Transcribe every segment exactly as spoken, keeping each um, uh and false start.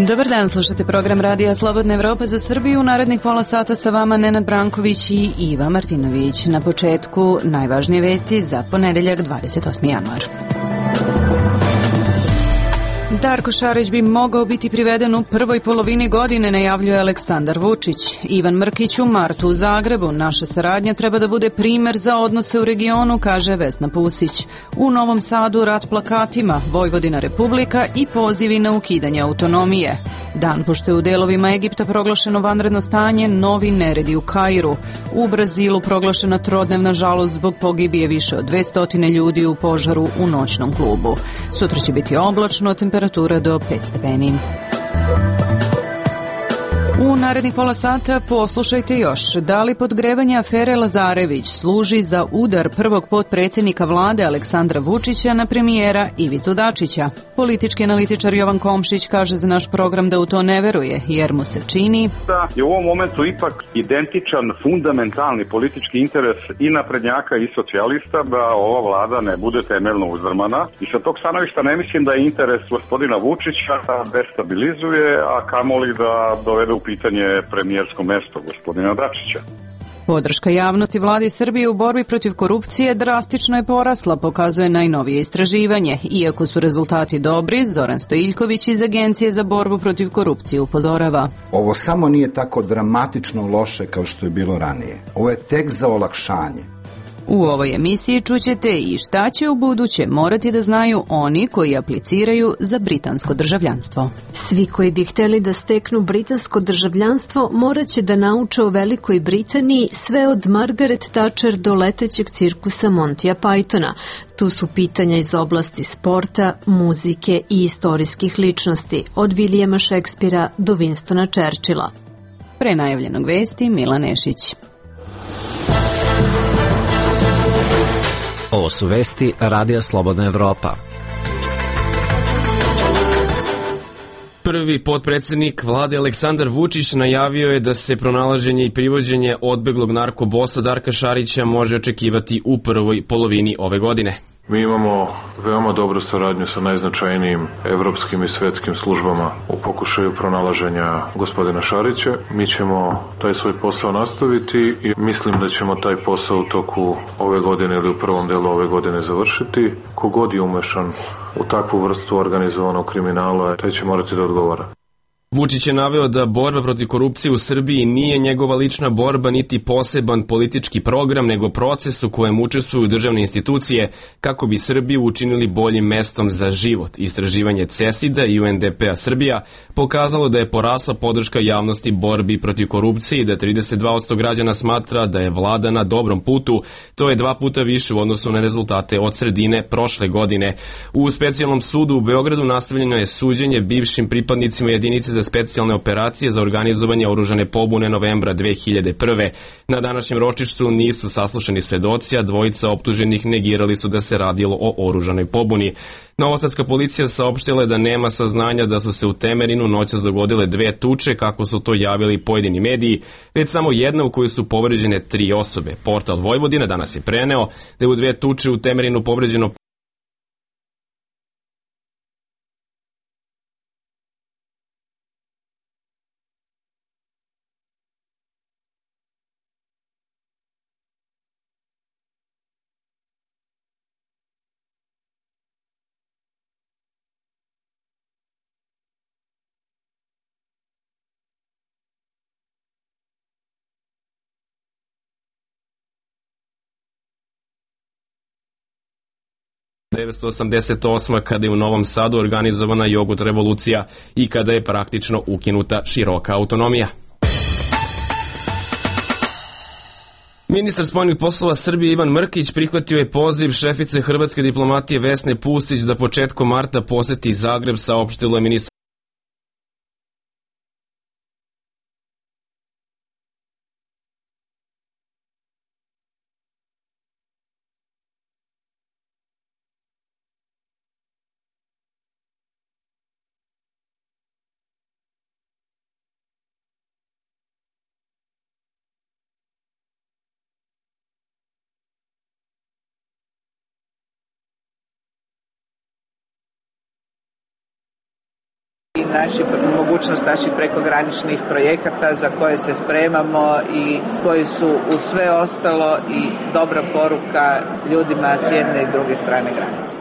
Dobar dan, slušate program Radija Slobodna Evropa za Srbiju. U narednih pola sata sa vama Nenad Branković i Iva Martinović. Na početku najvažnije vesti za ponedeljak dvadeset osmi januar. Darko Šarić bi mogao biti priveden u prvoj polovini godine, najavljuje Aleksandar Vučić. Ivan Mrkić u martu u Zagrebu. Naša saradnja treba da bude primer za odnose u regionu, kaže Vesna Pusić. U Novom Sadu rat plakatima, Vojvodina Republika i pozivi na ukidanje autonomije. Dan pošto je u delovima Egipta proglašeno vanredno stanje, novi neredi u Kairu. U Brazilu proglašena trodnevna žalost zbog pogibije više od dvesta ljudi u požaru u noćnom klubu. Sutra će biti oblačno, temperatura do pet stepeni. U narednih pola sata poslušajte još. Da li podgrevanje afere Lazarević služi za udar prvog potpredsjednika vlade Aleksandra Vučića na premijera Ivicu Dačića? Politički analitičar Jovan Komšić kaže za naš program da u to ne veruje, jer mu se čini da je u ovom momentu ipak identičan fundamentalni politički interes i naprednjaka i socijalista da ova vlada ne bude temeljno uzdrmana. I sa tog stanovišta ne mislim da je interes gospodina Vučića da destabilizuje, a kamoli da dovede u pitanje premijersko mesto gospodina Dačića. Podrška javnosti vladi Srbije u borbi protiv korupcije drastično je porasla, pokazuje najnovije istraživanje. Iako su rezultati dobri, Zoran Stojiljković iz Agencije za borbu protiv korupcije upozorava. Ovo samo nije tako dramatično loše kao što je bilo ranije. Ovo je tek za olakšanje. U ovoj emisiji čućete i šta će u buduće morati da znaju oni koji apliciraju za britansko državljanstvo. Svi koji bi hteli da steknu britansko državljanstvo morat će da nauče o Velikoj Britaniji sve od Margaret Thatcher do letećeg cirkusa Montija Pythona. Tu su pitanja iz oblasti sporta, muzike i istorijskih ličnosti, od Vilijama Šekspira do Winstona Churchilla. Pre najavljenog vesti Milan Nešić. Ovo su vesti Radija Slobodna Evropa. Prvi potpredsjednik vlade Aleksandar Vučić najavio je da se pronalaženje i privođenje odbeglog narkobosa Darka Šarića može očekivati u prvoj polovini ove godine. Mi imamo veoma dobru saradnju sa najznačajnijim evropskim i svetskim službama u pokušaju pronalaženja gospodina Šarića. Mi ćemo taj svoj posao nastaviti i mislim da ćemo taj posao u toku ove godine ili u prvom delu ove godine završiti. Kogod je umešan u takvu vrstu organizovanog kriminala, taj će morati da odgovara. Vučić je naveo da borba protiv korupcije u Srbiji nije njegova lična borba niti poseban politički program, nego proces u kojem učestvuju državne institucije kako bi Srbiju učinili boljim mestom za život. Istraživanje CESID-a i U N D P-a Srbija pokazalo da je porasla podrška javnosti borbi protiv korupcije i da trideset dva posto građana smatra da je vlada na dobrom putu. To je dva puta više u odnosu na rezultate od sredine prošle godine. U specijalnom sudu u Beogradu nastavljeno je suđenje bivšim pripadnicima jedinice za specijalne operacije za organizovanje oružane pobune novembra dve hiljade prve. Na današnjem ročištu nisu saslušani svedoci, a dvojica optuženih negirali su da se radilo o oružanoj pobuni. Novosadska policija saopštila je da nema saznanja da su se u Temerinu noćas dogodile dve tuče, kako su to javili pojedini mediji, već samo jedna u kojoj su povređene tri osobe. Portal Vojvodina danas je preneo da je u dve tuče u Temerinu povređeno devetsto osamdeset osma kada je u Novom Sadu organizovana jogut revolucija i kada je praktično ukinuta široka autonomija. Ministar spoljnih poslova Srbije Ivan Mrkić prihvatio je poziv šefice hrvatske diplomatije Vesne Pusić da početkom marta poseti Zagreb, saopštilo je ministar naši, mogućnost naših prekograničnih projekata za koje se spremamo i koji su uz sve ostalo i dobra poruka ljudima s jedne i druge strane granice.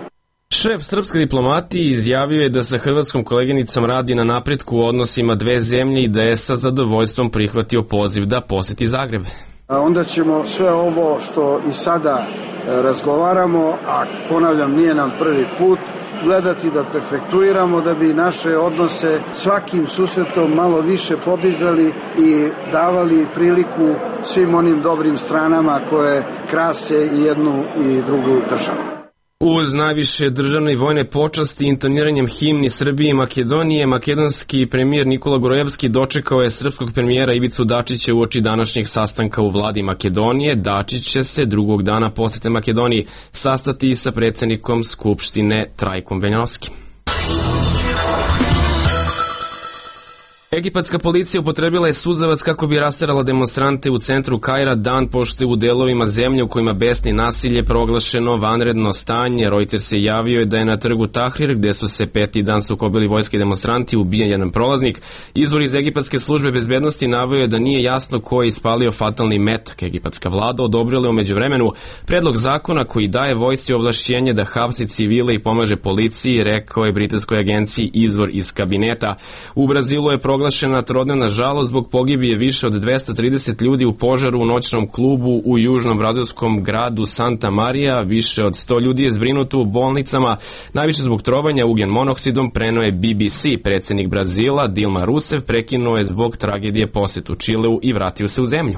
Šef srpske diplomatije izjavio je da sa hrvatskom koleginicom radi na napretku u odnosima dve zemlje i da je sa zadovoljstvom prihvatio poziv da poseti Zagreb. Onda ćemo sve ovo što i sada razgovaramo, a ponavljam nije nam prvi put, gledati da perfektuiramo da bi naše odnose svakim susretom malo više podizali i davali priliku svim onim dobrim stranama koje krase i jednu i drugu državu. Uz najviše državne i vojne počasti intoniranjem himni Srbije i Makedonije, makedonski premijer Nikola Gorojevski dočekao je srpskog premijera Ivicu Dačića uoči današnjeg sastanka u vladi Makedonije. Dačić će se drugog dana posete Makedoniji sastati sa predsjednikom Skupštine Trajkom Veljanovskim. Egipatska policija upotrebila je suzavac kako bi rasterala demonstrante u centru Kaira dan pošto je u delovima zemlje u kojima besni nasilje proglašeno vanredno stanje. Reuters je javio da je na trgu Tahrir, gde su se peti dan sukobili vojski demonstranti, ubijen jedan prolaznik. Izvor iz egipatske službe bezbednosti naveo je da nije jasno ko je ispalio fatalni metak. Egipatska vlada odobrila je u međuvremenu predlog zakona koji daje vojsci ovlašćenje da hapsi civile i pomaže policiji, rekao je britanskoj agenciji izvor iz kabineta. U Brazilu je proglašeno proglašena trodnevna žalost zbog pogibije više od dvesta trideset ljudi u požaru u noćnom klubu u južnom brazilskom gradu Santa Maria. Više od sto ljudi je zbrinuto u bolnicama, najviše zbog trovanja ugljen monoksidom, preneo je B B C. Predsjednik Brazila Dilma Rousseff prekinuo je zbog tragedije posetu Čileu i vratio se u zemlju.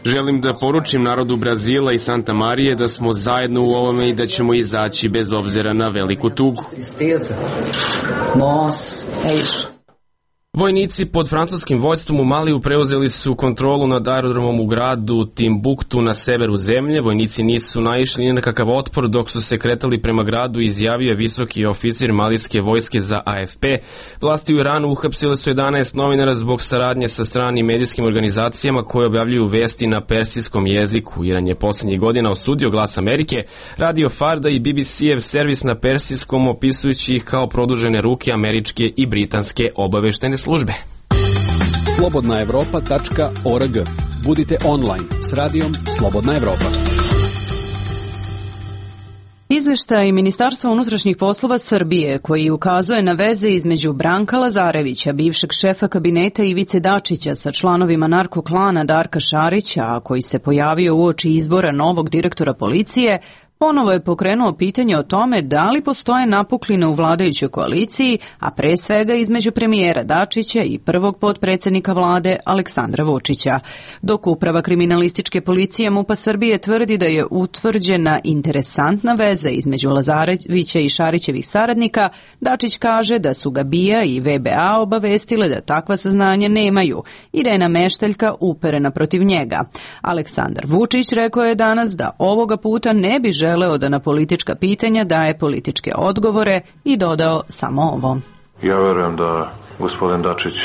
Želim da poručim narodu Brazila i Santa Marije da smo zajedno u ovome i da ćemo izaći bez obzira na veliku tugu. Vojnici pod francuskim vođstvom u Maliju preuzeli su kontrolu nad aerodromom u gradu Timbuktu na severu zemlje. Vojnici nisu naišli ni na kakav otpor dok su se kretali prema gradu, izjavio je visoki oficir malijske vojske za A F P. Vlasti u Iranu uhapsile su jedanaest novinara zbog saradnje sa stranim medijskim organizacijama koje objavljuju vesti na persijskom jeziku. Iran je posljednjih godina osudio Glas Amerike, Radio Farda i B B C-ev servis na persijskom, opisujući ih kao produžene ruke američke i britanske obaveštajne službe. slobodna evropa tačka org. Budite online s radijom Slobodna Evropa. Izveštaj Ministarstva unutrašnjih poslova Srbije, koji ukazuje na veze između Branka Lazarevića, bivšeg šefa kabineta Ivice Dačića, sa članovima narkoklana Darka Šarića, a koji se pojavio uoči izbora novog direktora policije, ponovo je pokrenuo pitanje o tome da li postoje napukline u vladajućoj koaliciji, a pre svega između premijera Dačića i prvog potpredsjednika vlade Aleksandra Vučića. Dok uprava kriminalističke policije MUP-a Srbije tvrdi da je utvrđena interesantna veza između Lazarevića i Šarićevih saradnika, Dačić kaže da su ga B I A i V B A obavestile da takva saznanja nemaju i da je nameštaljka uperena protiv njega. Aleksandar Vučić rekao je danas da ovoga puta ne bi želeo želeo da na politička pitanja daje političke odgovore i dodao samo ovo. Ja verujem da gospodin Dačić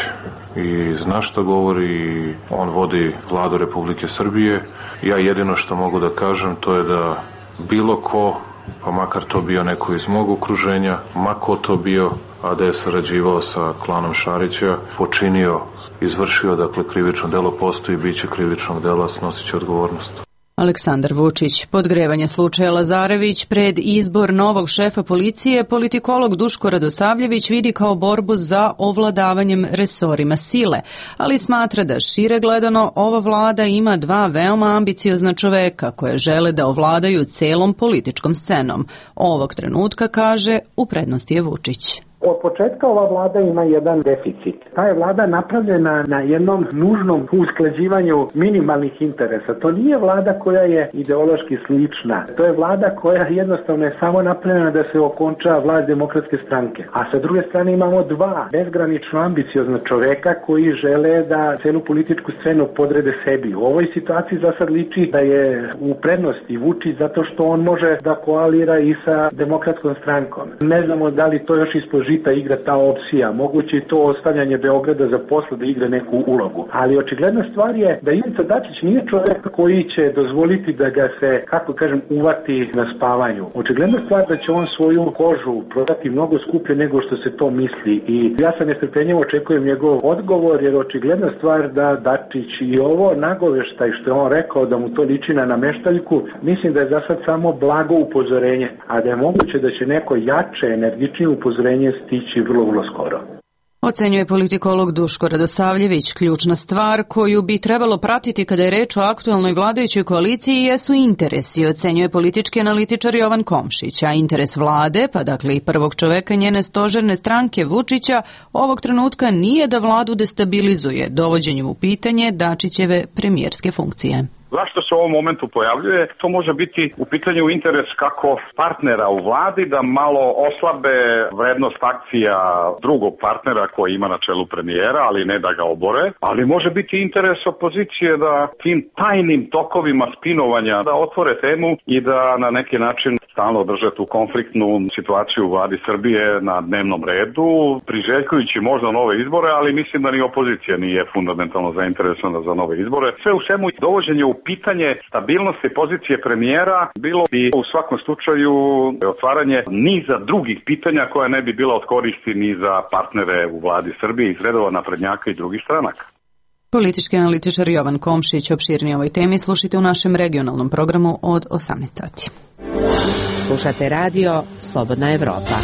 i zna šta govori i on vodi vladu Republike Srbije. Ja jedino što mogu da kažem to je da bilo ko, pa makar to bio neko iz mog okruženja, mako to bio, a da je sarađivao sa klanom Šarića, počinio, izvršio, dakle krivično delo, postoji, bit će krivičnog dela, snosit će odgovornost. Aleksandar Vučić. Podgrevanje slučaja Lazarević pred izbor novog šefa policije politikolog Duško Radosavljević vidi kao borbu za ovladavanjem resorima sile, ali smatra da šire gledano ova vlada ima dva veoma ambiciozna čoveka koje žele da ovladaju celom političkom scenom. Ovog trenutka, kaže, u prednosti je Vučić. Od početka ova vlada ima jedan deficit. Ta je vlada napravljena na jednom nužnom usklađivanju minimalnih interesa. To nije vlada koja je ideološki slična. To je vlada koja jednostavno je samo napravljena da se okonča vlast Demokratske stranke. A sa druge strane imamo dva bezgranično ambiciozna čoveka koji žele da celu političku scenu podrede sebi. U ovoj situaciji za sad liči da je u prednosti Vučić zato što on može da koalira i sa Demokratskom strankom. Ne znamo da li to još ispoživa žita igra ta opcija, moguće i to ostavljanje Beograda za posle da igra neku ulogu. Ali očigledna stvar je da Ivica Dačić nije čovjek koji će dozvoliti da ga se, kako kažem, uvati na spavanju. Očigledna stvar da će on svoju kožu prodati mnogo skuplje nego što se to misli i ja sam nestrpljenjivo očekujem njegov odgovor, jer očigledna stvar da Dačić i ovo nagoveštaj što je on rekao da mu to liči na nameštaljku, mislim da je za sad samo blago upozorenje, a da je moguće da će neko jače, energičnije upozorenje stići vrlo, vrlo skoro. Ocenjuje politikolog Duško Radosavljević. Ključna stvar koju bi trebalo pratiti kada je reč o aktualnoj vladajućoj koaliciji jesu interesi, ocenjuje politički analitičar Jovan Komšić, a interes vlade, pa dakle i prvog čoveka njene stožerne stranke Vučića, ovog trenutka nije da vladu destabilizuje dovođenjem u pitanje Dačićeve premijerske funkcije. Zašto se u ovom momentu pojavljuje? To može biti u pitanju interes kako partnera u vladi da malo oslabe vrednost akcija drugog partnera koji ima na čelu premijera, ali ne da ga obore. Ali može biti interes opozicije da tim tajnim tokovima spinovanja da otvore temu i da na neki način stalno drže tu konfliktnu situaciju u vladi Srbije na dnevnom redu, priželjkujući možda nove izbore, ali mislim da ni opozicija nije fundamentalno zainteresovana za nove izbore. Sve u svemu dovođenje u pitanje stabilnosti pozicije premijera bilo bi u svakom slučaju otvaranje niza drugih pitanja koja ne bi bila od koristi ni za partnere u vladi Srbije iz redova naprednjaka i drugih stranaka. Politički analitičar Jovan Komšić opširnije ovoj temi slušajte u našem regionalnom programu od osamnaest sati. Slušate radio Slobodna Evropa.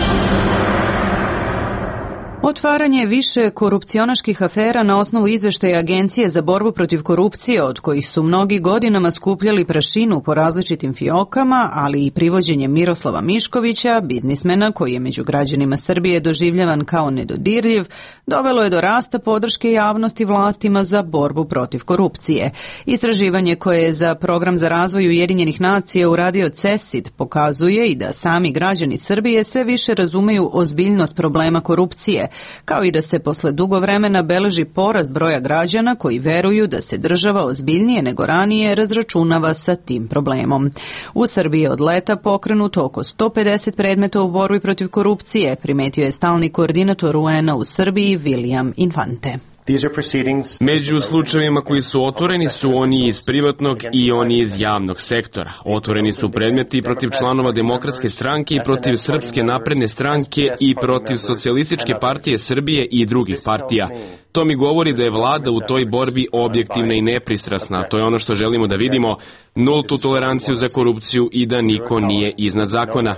Otvaranje više korupcionaških afera na osnovu izveštaja Agencije za borbu protiv korupcije, od kojih su mnogi godinama skupljali prašinu po različitim fiokama, ali i privođenje Miroslava Miškovića, biznismena koji je među građanima Srbije doživljavan kao nedodirljiv, dovelo je do rasta podrške javnosti vlastima za borbu protiv korupcije. Istraživanje koje je za Program za razvoj Ujedinjenih nacija uradio CESID pokazuje i da sami građani Srbije sve više razumeju ozbiljnost problema korupcije, kao i da se posle dugo vremena beleži porast broja građana koji veruju da se država ozbiljnije nego ranije razračunava sa tim problemom. U Srbiji je od leta pokrenuto oko sto pedeset predmeta u borbi protiv korupcije, primetio je stalni koordinator U N-a u Srbiji William Infante. Među slučajevima koji su otvoreni su oni iz privatnog i oni iz javnog sektora. Otvoreni su predmeti protiv članova Demokratske stranke i protiv Srpske napredne stranke i protiv Socijalističke partije Srbije i drugih partija. To mi govori da je vlada u toj borbi objektivna i nepristrasna. To je ono što želimo da vidimo, nultu toleranciju za korupciju i da niko nije iznad zakona.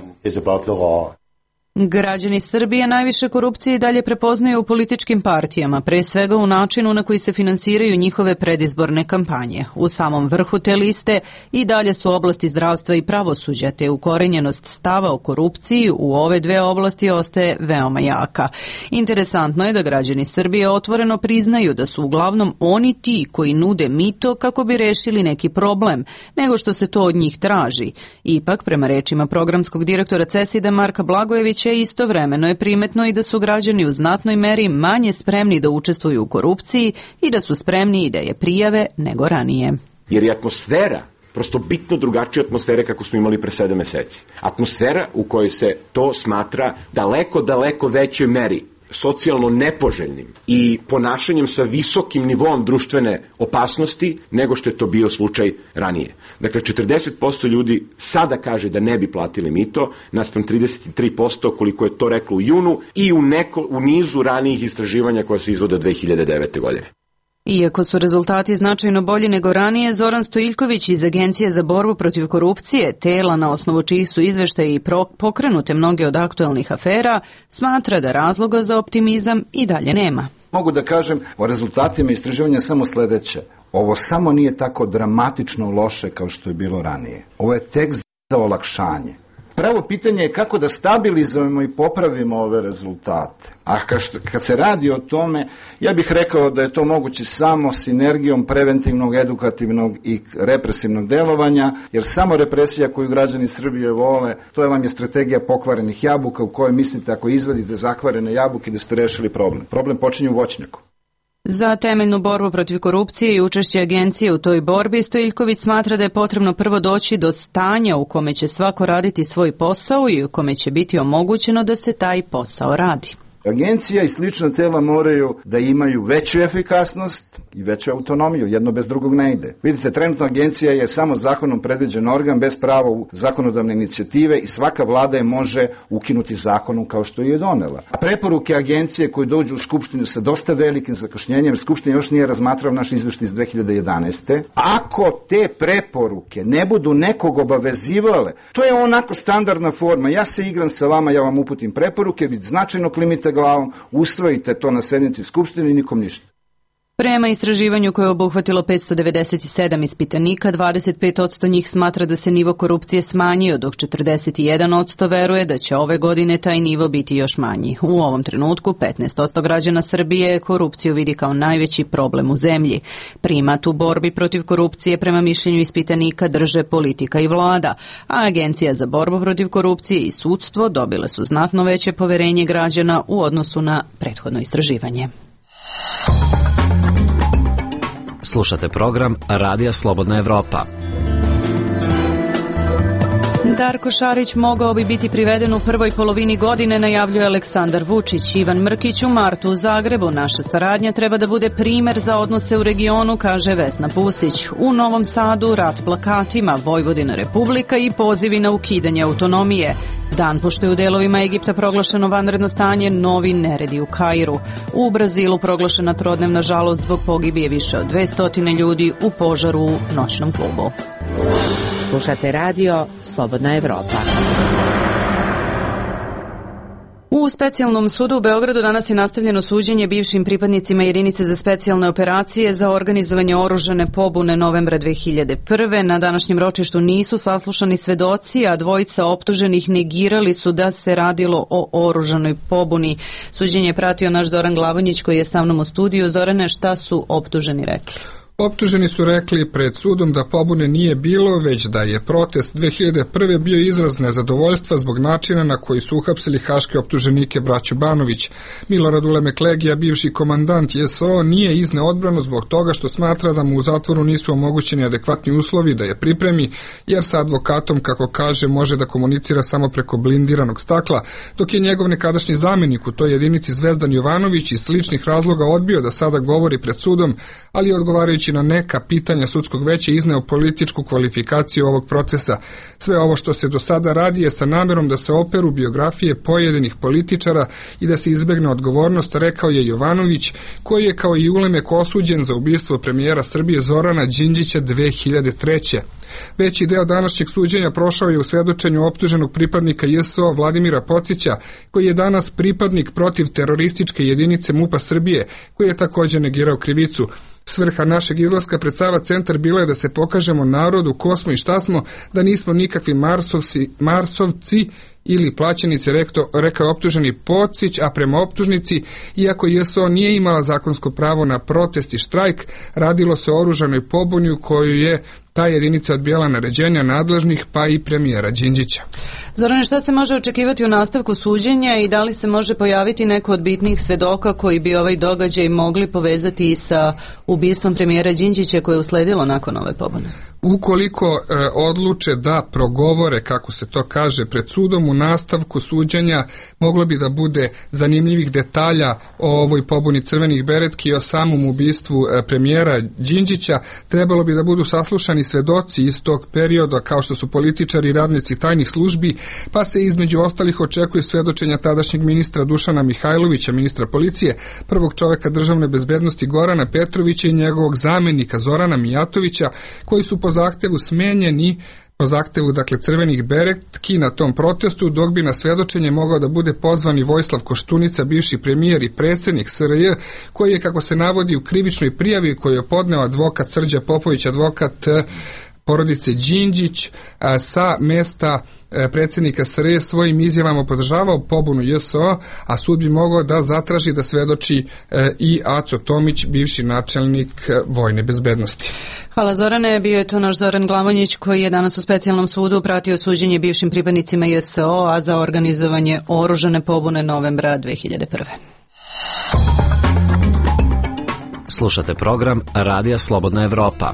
Građani Srbije najviše korupcije i dalje prepoznaju u političkim partijama, pre svega u načinu na koji se finansiraju njihove predizborne kampanje. U samom vrhu te liste i dalje su oblasti zdravstva i pravosuđa, te ukorenjenost stava o korupciji u ove dve oblasti ostaje veoma jaka. Interesantno je da građani Srbije otvoreno priznaju da su uglavnom oni ti koji nude mito kako bi rešili neki problem, nego što se to od njih traži. Ipak, prema rečima programskog direktora CESID-a Marka Blagojevića, istovremeno je primetno i da su građani u znatnoj meri manje spremni da učestvuju u korupciji i da su spremni da je prijave nego ranije. Jer je atmosfera prosto bitno drugačija atmosfere kako smo imali pre sedam meseci. Atmosfera u kojoj se to smatra daleko, daleko većoj meri socijalno nepoželjnim i ponašanjem sa visokim nivom društvene opasnosti nego što je to bio slučaj ranije. Dakle, četrdeset posto ljudi sada kaže da ne bi platili mito, naspram trideset tri posto koliko je to reklo u junu i u, neko, u nizu ranijih istraživanja koja se izvode dve hiljade devete. godine. Iako su rezultati značajno bolji nego ranije, Zoran Stojiljković iz Agencije za borbu protiv korupcije, tela na osnovu čijih su izveštaji i pokrenute mnoge od aktuelnih afera, smatra da razloga za optimizam i dalje nema. Mogu da kažem o rezultatima istraživanja samo sledeće. Ovo samo nije tako dramatično loše kao što je bilo ranije. Ovo je tek za olakšanje. Pravo pitanje je kako da stabilizujemo i popravimo ove rezultate. A kad se radi o tome, ja bih rekao da je to moguće samo sinergijom preventivnog, edukativnog i represivnog delovanja, jer samo represija koju građani Srbije vole, to je vam je strategija pokvarenih jabuka u kojoj mislite ako izvadite zakvarene jabuke da ste rešili problem. Problem počinje u voćnjaku. Za temeljnu borbu protiv korupcije i učešće agencije u toj borbi Stojiljković smatra da je potrebno prvo doći do stanja u kome će svako raditi svoj posao i u kome će biti omogućeno da se taj posao radi. Agencija i slična tela moraju da imaju veću efikasnost i veću autonomiju, jedno bez drugog ne ide. Vidite, trenutno agencija je samo zakonom predviđen organ bez prava u zakonodavne inicijative i svaka vlada je može ukinuti zakonom kao što je donela. Preporuke agencije koje dođu u Skupštinu sa dosta velikim zakašnjenjem, Skupština još nije razmatrao naš izveštaj iz dve hiljade jedanaeste. Ako te preporuke ne budu nekog obavezivale, to je onako standardna forma, ja se igram sa vama, ja vam uputim preporuke, vi značajno klimite glavom, usvojite to na sednici Skupštine i nikom ništa. Prema istraživanju koje je obuhvatilo petsto devedeset sedam ispitanika, dvadeset pet posto njih smatra da se nivo korupcije smanjio, dok četrdeset jedan posto veruje da će ove godine taj nivo biti još manji. U ovom trenutku petnaest posto građana Srbije korupciju vidi kao najveći problem u zemlji. Primat u borbi protiv korupcije prema mišljenju ispitanika drže politika i vlada, a Agencija za borbu protiv korupcije i sudstvo dobile su znatno veće poverenje građana u odnosu na prethodno istraživanje. Slušate program Radija Slobodna Evropa. Darko Šarić mogao bi biti priveden u prvoj polovini godine, najavljuje Aleksandar Vučić. Ivan Mrkić u martu u Zagrebu. Naša saradnja treba da bude primer za odnose u regionu, kaže Vesna Pusić. U Novom Sadu rat plakatima, Vojvodina Republika i pozivi na ukidanje autonomije. Dan pošto je u delovima Egipta proglašeno vanredno stanje, novi neredi u Kairu. U Brazilu proglašena trodnevna žalost zbog pogibije više od dvesta ljudi u požaru u noćnom klubu. Slušate radio Slobodna Evropa. U specijalnom sudu u Beogradu danas je nastavljeno suđenje bivšim pripadnicima jedinice za specijalne operacije za organizovanje oružane pobune novembra dve hiljade prve. Na današnjem ročištu nisu saslušani svedoci, a dvojica optuženih negirali su da se radilo o oružanoj pobuni. Suđenje je pratio naš Zoran Glavonjić koji je sa mnom u studiju. Zorane, šta su optuženi rekli? Optuženi su rekli pred sudom da pobune nije bilo, već da je protest dve hiljade prve bio izraz nezadovoljstva zbog načina na koji su uhapsili haške optuženike braću Banović. Milorad Ulemeklegija, bivši komandant J S O, nije izneo odbranu zbog toga što smatra da mu u zatvoru nisu omogućeni adekvatni uslovi da je pripremi, jer sa advokatom, kako kaže, može da komunicira samo preko blindiranog stakla, dok je njegov nekadašnji zamenik u toj jedinici Zvezdan Jovanović iz sličnih razloga odbio da sada govori pred sudom, ali odgovarajući na neka pitanja sudskog veća izneo političku kvalifikaciju ovog procesa. Sve ovo što se do sada radi je sa namerom da se operu biografije pojedinih političara i da se izbegne odgovornost, rekao je Jovanović, koji je kao i Ulemek osuđen za ubistvo premijera Srbije Zorana Đinđića dve hiljade treće. Veći deo današnjeg suđenja prošao je u svedočenju optuženog pripadnika J S O Vladimira Pocića, koji je danas pripadnik protiv terorističke jedinice MUP-a Srbije, koji je također negirao krivicu. Svrha našeg izlaska pred Sava centar bila je da se pokažemo narodu ko smo i šta smo, da nismo nikakvi marsovci, marsovci ili plaćenici, rekto, rekao optuženi Pocić, a prema optužnici, iako J S O nije imala zakonsko pravo na protest i štrajk, radilo se o oružanoj pobuni u koju je ta jedinica odbijala naređenja nadležnih, pa i premijera Đinđića. Zorane, šta se može očekivati u nastavku suđenja i da li se može pojaviti neko od bitnih svedoka koji bi ovaj događaj mogli povezati i sa ubistvom premijera Đinđića koje je usledilo nakon ove pobune? Ukoliko e, odluče da progovore, kako se to kaže, pred sudom, u nastavku suđenja moglo bi da bude zanimljivih detalja o ovoj pobuni crvenih beretki i o samom ubistvu e, premijera Đinđića. Trebalo bi da budu saslušani svedoci iz tog perioda, kao što su političari i radnici tajnih službi, pa se između ostalih očekuje svedočenja tadašnjeg ministra Dušana Mihajlovića, ministra policije, prvog čoveka državne bezbednosti Gorana Petrovića i njegovog zamenika Zorana Mijatovića, koji su po zahtevu smenjeni po zahtevu, dakle, crvenih beretki na tom protestu, dok bi na svedočenje mogao da bude pozvani Vojislav Koštunica, bivši premijer i predsjednik S R J, koji je, kako se navodi u krivičnoj prijavi koju je podneo advokat Srđa Popović, advokat porodice Đinđić, sa mesta predsjednika S R J svojim izjavama podržavao pobunu J S O, a sud bi mogao da zatraži da svedoči i Aco Tomić, bivši načelnik vojne bezbednosti. Hvala Zorane, bio je to naš Zoran Glavonjić koji je danas u specijalnom sudu pratio suđenje bivšim pripadnicima J S O, a za organizovanje oružane pobune novembra dve hiljade prve. Slušate program Radija Slobodna Evropa.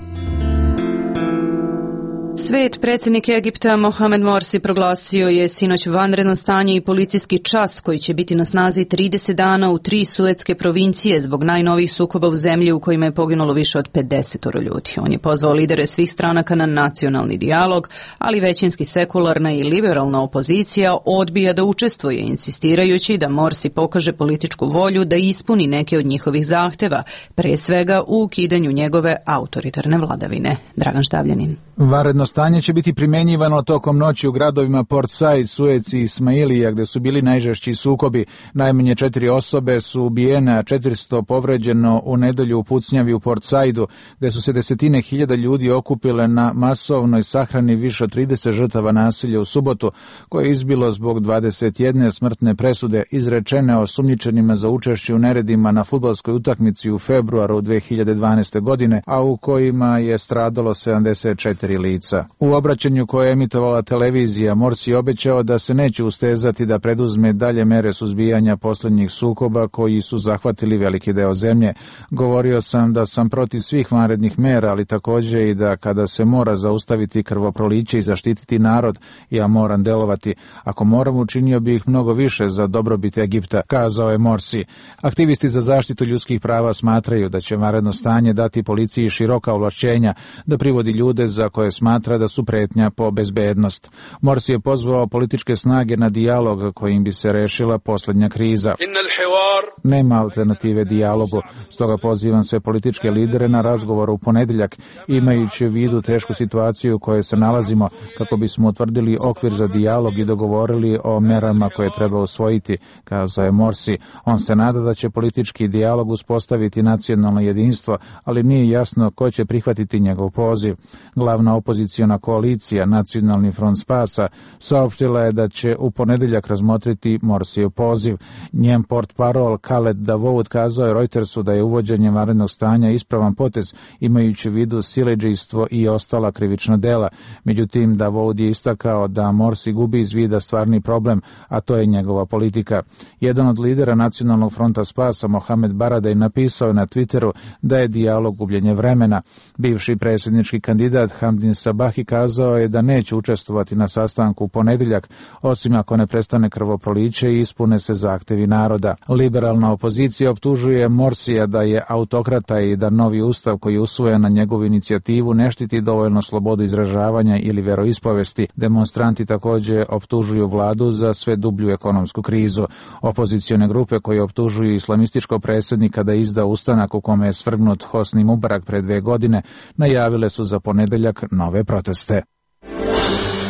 Svet predsjednik Egipta Mohamed Morsi proglasio je sinoć vanredno stanje i policijski čas koji će biti na snazi trideset dana u tri suetske provincije zbog najnovijih sukoba u zemlji u kojima je poginulo više od pedeset ljudi. On je pozvao lidere svih stranaka na nacionalni dijalog, ali većinski sekularna i liberalna opozicija odbija da učestvuje, insistirajući da Morsi pokaže političku volju da ispuni neke od njihovih zahteva, pre svega u ukidanju njegove autoritarne vladavine. Dragan Štavljanin. Vanredno stanje će biti primenjivano tokom noći u gradovima Port Said, Suez i Ismailija, gde su bili najžešći sukobi. Najmanje četiri osobe su ubijene, a četiristo povređeno u nedelju u pucnjavi u Port Saidu, gde su se desetine hiljada ljudi okupile na masovnoj sahrani više od trideset žrtava nasilja u subotu, koje je izbilo zbog dvadeset jedne smrtne presude izrečene osumnjičenima za učešće u neredima na fudbalskoj utakmici u februaru dve hiljade dvanaeste. godine, a u kojima je stradalo sedamdeset četiri lica. U obraćanju koje je emitovala televizija, Morsi je obećao da se neće ustezati da preduzme dalje mere suzbijanja posljednjih sukoba koji su zahvatili veliki deo zemlje. Govorio sam da sam protiv svih vanrednih mera, ali također i da kada se mora zaustaviti krvoproliće i zaštititi narod, ja moram delovati. Ako moram, učinio bih mnogo više za dobrobit Egipta, kazao je Morsi. Aktivisti za zaštitu ljudskih prava smatraju da će vanredno stanje dati policiji široka ovlašćenja da privodi ljude za koje smatra da su pretnja po bezbednost. Morsi je pozvao političke snage na dijalog kojim bi se rešila posljednja kriza. Nema alternative dijalogu, stoga pozivam sve političke lidere na razgovor u ponedeljak, imajući u vidu tešku situaciju u kojoj se nalazimo, kako bismo utvrdili okvir za dijalog i dogovorili o merama koje treba usvojiti, kazao je Morsi. On se nada da će politički dijalog uspostaviti nacionalno jedinstvo, ali nije jasno ko će prihvatiti njegov poziv. Glavna opoziciona koalicija Nacionalni front spasa saopštila je da će u ponedeljak razmotriti Morsijev poziv. Njen portparol Khaled Dawood kazao je Reutersu da je uvođenje vanrednog stanja ispravan potez, imajući u vidu siledžijstvo i ostala krivična dela. Međutim, Dawood je istakao da Morsi gubi iz vida stvarni problem, a to je njegova politika. Jedan od lidera Nacionalnog fronta spasa, Mohamed Baradej, napisao je na Twitteru da je dijalog gubljenje vremena. Bivši predsjednički kandidat Hamdin Sabahi kazao je da neće učestvovati na sastanku u ponedeljak, osim ako ne prestane krvoproliće i ispune se zahtevi naroda. Liberalna opozicija optužuje Morsija da je autokrata i da novi ustav koji je usvojen na njegovu inicijativu ne štiti dovoljno slobodu izražavanja ili veroispovesti. Demonstranti također optužuju vladu za sve dublju ekonomsku krizu. Opozicione grupe koje optužuju islamističkog predsjednika da izda ustanak u kome je svrgnut Hosni Mubarak pre dve godine, najavile su za ponedeljak nove proteste.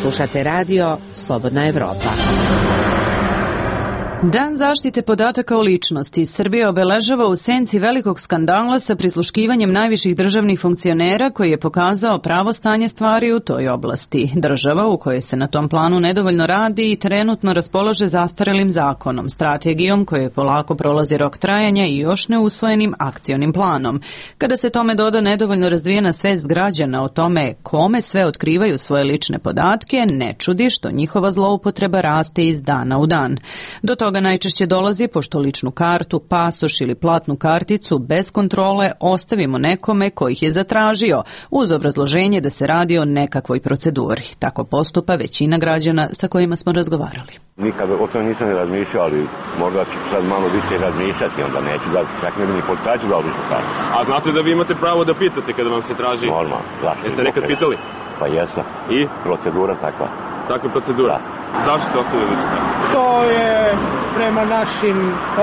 Slušate radio Slobodna Evropa. Dan zaštite podataka o ličnosti Srbija obeležava u senci velikog skandala sa prisluškivanjem najviših državnih funkcionera koji je pokazao pravo stanje stvari u toj oblasti. Država u kojoj se na tom planu nedovoljno radi i trenutno raspolaže zastarelim zakonom, strategijom koje polako prolazi rok trajanja i još neusvojenim akcionim planom. Kada se tome doda nedovoljno razvijena svest građana o tome kome sve otkrivaju svoje lične podatke, ne čudi što njihova zloupotreba raste iz dana u dan. Do toga najčešće dolazi pošto ličnu kartu, pasoš ili platnu karticu bez kontrole ostavimo nekome ko ih je zatražio, uz obrazloženje da se radi o nekakvoj proceduri. Tako postupa većina građana sa kojima smo razgovarali. Nikad o tome nisam ne razmišljao, ali možda ću sad malo više razmišljati, onda neću da čak ne bi ni policajcu dao ličnu kartu. A znate da vi imate pravo da pitate kada vam se traži? Normalno. Jeste nekad pitali? Pa jesam. I? Procedura takva. Takva procedura? Zašto ste ostavili ličnu kartu? To je prema našim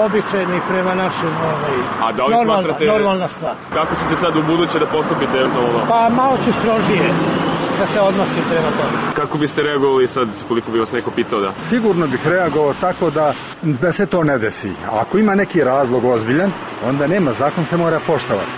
običajnim, prema našim ovaj, A da li normalna, smatrate, normalna stvar. Kako ćete sad u buduće da postupite eventualno? Pa malo ću strožije da se odnosim prema tome. Kako biste reagovali sad koliko bi vas neko pitao da? Sigurno bih reagovao tako da, da se to ne desi. Ako ima neki razlog ozbiljan, onda nema, zakon se mora poštovati.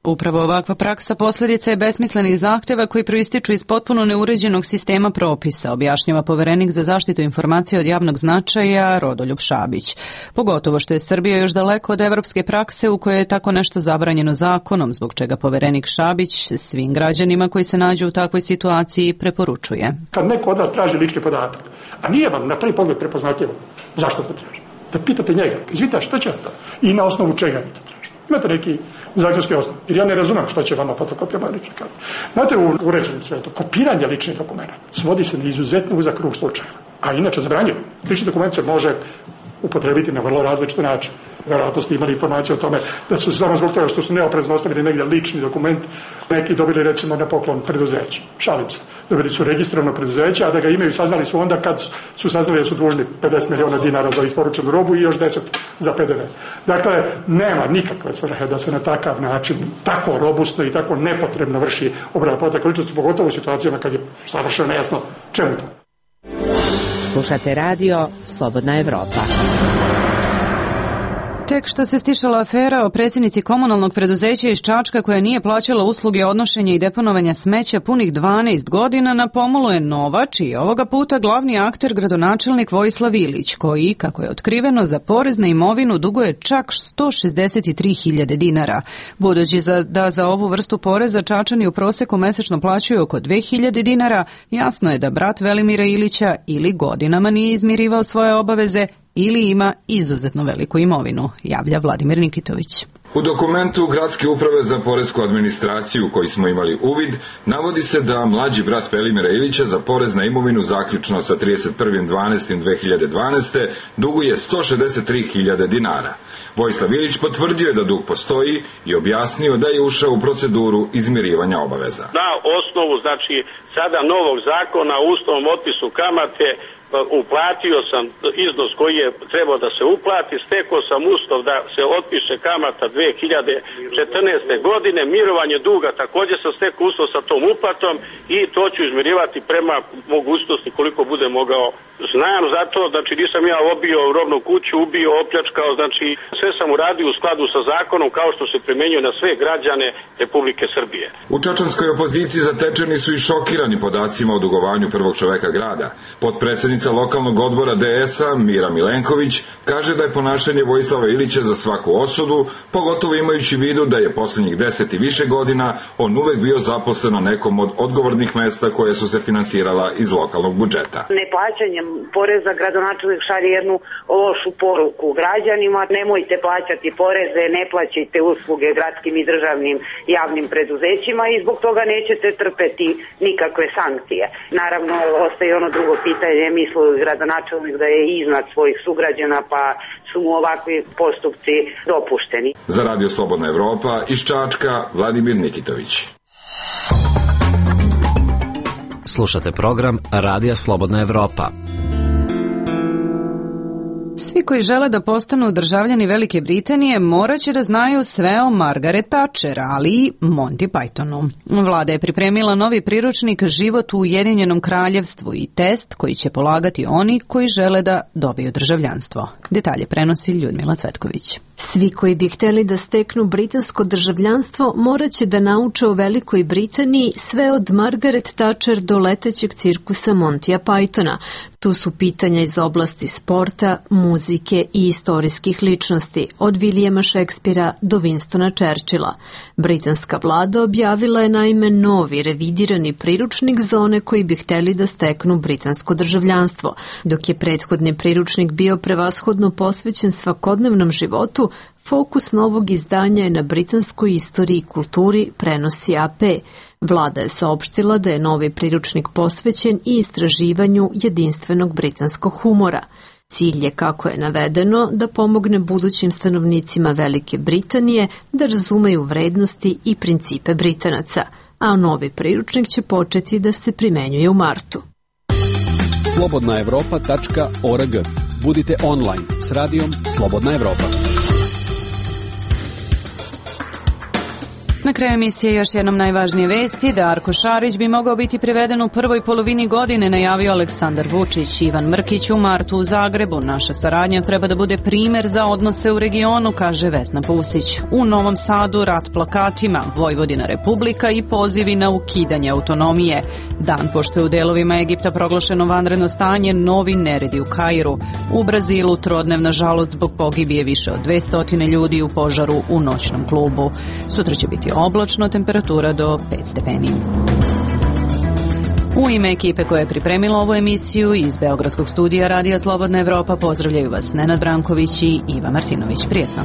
Upravo ovakva praksa posljedica je besmislenih zahtjeva koji proističu iz potpuno neuređenog sistema propisa, objašnjava poverenik za zaštitu informacija od javnog značaja Rodoljub Šabić. Pogotovo što je Srbija još daleko od evropske prakse u kojoj je tako nešto zabranjeno zakonom, zbog čega poverenik Šabić svim građanima koji se nađu u takvoj situaciji preporučuje. Kad neko od vas traži lični podatak, a nije vam na prvi pogled prepoznatljivo, zašto to traži? Da pitate njega, izvita, što će to? I na osnovu čega vi to traži? Imate neki zakonski osnov. Jer ja ne razumem što će vama fotokopija lične karte. Znate, u uređenom svetu, kopiranje ličnih dokumenta svodi se na izuzetno uzak krug slučajeva. A inače zabranjeno. Lični dokument se može upotrebiti na vrlo različite načine. Verovatno ste imali informaciju o tome da su samo zbog toga što su neoprezno ostavili negdje lični dokument, neki dobili recimo na poklon preduzeće. Šalim se. Dobili su registrovano preduzeće, a da ga imaju saznali su onda kad su saznali da su dužni pedeset miliona dinara za isporučenu robu i još deset za P D V. Dakle, nema nikakve svrhe da se na takav način, tako robustno i tako nepotrebno vrši obrada podataka ličnosti, pogotovo u situacijama kad je savršeno nejasno čemu to. Slušate radio Slobodna Evropa. Tek što se stišala afera o predsjednici komunalnog preduzeća iz Čačka koja nije plaćala usluge odnošenja i deponovanja smeća punih dvanaest godina, na pomolu je nova, čiji ovoga puta glavni akter gradonačelnik Vojislav Ilić, koji, kako je otkriveno, za porez na imovinu duguje čak sto šezdeset tri hiljade dinara. Budući za, da za ovu vrstu poreza Čačani u proseku mesečno plaćaju oko dve hiljade dinara, jasno je da brat Velimira Ilića ili godinama nije izmirivao svoje obaveze ili ima izuzetno veliku imovinu, javlja Vladimir Nikitović. U dokumentu Gradske uprave za poresku administraciju koji smo imali uvid, navodi se da mlađi brat Velimira Ilića za porez na imovinu zaključno sa trideset prvog decembra dve hiljade dvanaeste. duguje sto šezdeset tri hiljade dinara. Vojislav Ilić potvrdio je da dug postoji i objasnio da je ušao u proceduru izmirivanja obaveza. Na osnovu, znači, sada novog zakona o uslovnom otpisu kamate, uplatio sam iznos koji je trebao da se uplati, stekao sam uslov da se otpiše kamata dve hiljade četrnaeste. godine, mirovanje duga također sam stekao uslov sa tom uplatom i to ću izmirivati prema mogućnosti koliko bude mogao. Znam zato, znači nisam ja obio robnu kuću, ubio, opljačkao, znači sve sam uradio u skladu sa zakonom kao što se primjenjuje na sve građane Republike Srbije. U čačanskoj opoziciji zatečeni su i šokirani podacima o dugovanju prvog čoveka grada. Potpredsednica lokalnog odbora D S-a Mira Milenković kaže da je ponašanje Vojislava Ilića za svaku osudu, pogotovo imajući vidu da je poslednjih deset i više godina on uvek bio zaposlen na nekom od odgovornih mesta koje su se finansirala iz lokalnog budžeta. Neplaćanjem poreza gradonačelnik šalje jednu lošu poruku građanima: nemojte plaćati poreze, ne plaćajte usluge gradskim i državnim javnim preduzećima i zbog toga nećete trpeti nikakve sankcije. Naravno, ostaje ono drugo pitanje, misle gradonačelnik da je iznad svojih sugrađana, pa su mu ovakvi postupci dopušteni. Za Radio Slobodna Evropa iz Čačka, Vladimir Nikitović. Slušate program Radija Slobodna Evropa. Svi koji žele da postanu državljani Velike Britanije morat će da znaju sve o Margaret Thatcher, ali i Monty Pythonu. Vlada je pripremila novi priručnik Život u Ujedinjenom kraljevstvu i test koji će polagati oni koji žele da dobiju državljanstvo. Detalje prenosi Ljudmila Cvetković. Svi koji bi hteli da steknu britansko državljanstvo morat će da nauče o Velikoj Britaniji sve od Margaret Thatcher do letećeg cirkusa Montya Pythona. Tu su pitanja iz oblasti sporta, muzike i istorijskih ličnosti, od Williama Shakespearea do Winstona Churchilla. Britanska vlada objavila je naime novi revidirani priručnik za one koji bi hteli da steknu britansko državljanstvo. Dok je prethodni priručnik bio prevashodno posvećen svakodnevnom životu, fokus novog izdanja je na britanskoj istoriji i kulturi, prenosi A P. Vlada je saopštila da je novi priručnik posvećen i istraživanju jedinstvenog britanskog humora. Cilj je, kako je navedeno, da pomogne budućim stanovnicima Velike Britanije da razumeju vrednosti i principe Britanaca, a novi priručnik će početi da se primenjuje u martu. slobodna evropa tačka org. Budite online s radijom Slobodna Evropa. Na kraju emisije još jednom najvažnije vesti. Darko Šarić bi mogao biti priveden u prvoj polovini godine, najavio Aleksandar Vučić. Ivan Mrkić u martu u Zagrebu. Naša saradnja treba da bude primer za odnose u regionu, kaže Vesna Pusić. U Novom Sadu rat plakatima, Vojvodina Republika i pozivi na ukidanje autonomije. Dan pošto je u delovima Egipta proglašeno vanredno stanje, novi neredi u Kairu. U Brazilu trodnevna žalost zbog pogibije više od dvesta ljudi u požaru u noćnom klubu. Sutra će biti oblačno, temperatura do pet stepeni. U ime ekipe koja je pripremila ovu emisiju iz Beogradskog studija Radija Slobodna Evropa pozdravljaju vas Nenad Branković i Iva Martinović. Prijetno.